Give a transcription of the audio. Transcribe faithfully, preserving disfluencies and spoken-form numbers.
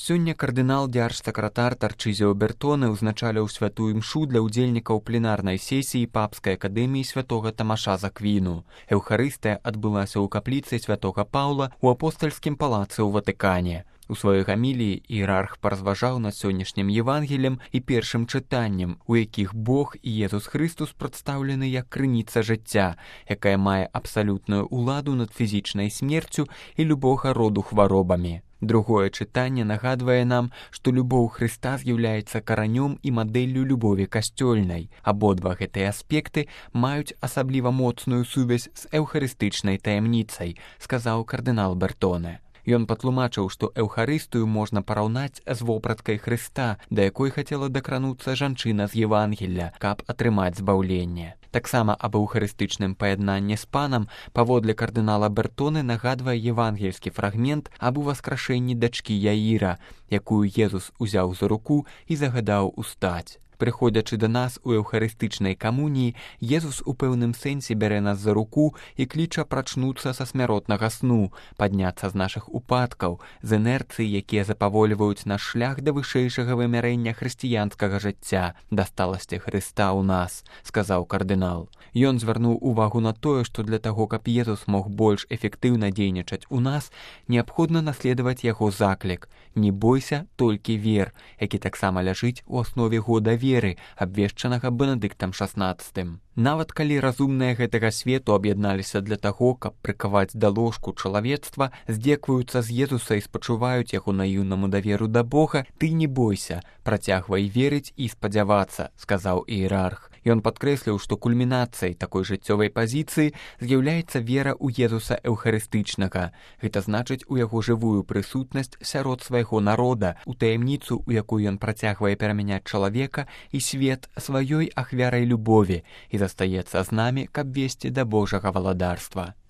Сёння кардынал дзяржсакратар Тарчызіо Бертоне ўзначаліў святую імшу для ўдзельнікаў пленарнай сесіі папскай акадэміі святога Тамаша з Аквіну. Эўхарыстыя адбылася ў капліцы святога Паўла ў апостальскім палацы ў Ватыкане. У сваёй гаміліі іерарх паразважаў над сённяшнім Евангелем і першым чытаннем, у якіх Бог і Езус Христус прадстаўлены як крыніца жыцця, якая мае абсалютную ўладу над фізічнай смерцю і любога роду хваробамі. Другое чытанне нагадвае нам, што любоў Хрыста з'яўляецца каранём і мадэллю любові касцёльнай. Абодва гэтыя аспекты маюць асабліва моцную сувязь з эўхарыстычнай таямніцай, сказаў кардынал Бертоне. Ён патлумачыў, што эўхарыстыю можна параўнаць з вопраткай Хрыста, да якой хацела дакрануцца жанчына з Евангелля, каб атрымаць збаўленне. Таксама аб эўхарыстычным паяднанні з панам паводле кардынала Бертоне нагадвае евангельскі фрагмент аб уваскрашэнні дачкі Яіра, якую Езус узяў за руку і загадаў устаць. Прыходзячы да нас у эўхарыстычнай камуніі, Езус у пэўным сэнсе бярэ нас за руку і кліча прачнуцца са смяротнага сну, падняцца з нашых упадкаў, з інерцыі, якія запавольваюць наш шлях да вышэйшага вымярэння хрысціянскага жыцця, да сталасці Хрыста ў нас, сказаў кардынал. Ён звярнуў увагу на тое, што для таго, каб Езус мог больш эфектыўна дзейнічаць у нас, неабходна наследаваць яго заклік «Не бойся, толькі вер», які таксама ляжыць у аснове года веры, абвешчанага Бенедыктам шаснаццатым. Нават калі разумныя гэтага свету аб'ядналіся для таго, каб прыкаваць да ложку чалавецтва, здзекваюцца з Езуса і спачуваюць яго наіўнаму даверу да Бога, ты не бойся, працягвай верыць і спадзявацца, сказаў іерарх. Ён падкрэсліў, што кульмінацыяй такой жыццёвай пазіцыі з'яўляецца вера ў Езуса эўхарыстычнага. Гэта значыць у яго жывую прысутнасць сярод свайго народа, у таямніцу, у якую ён працягвае перамяняць чалавека і свет сваёй ахвярай любові і застаецца з намі, каб весці да Божага валадарства.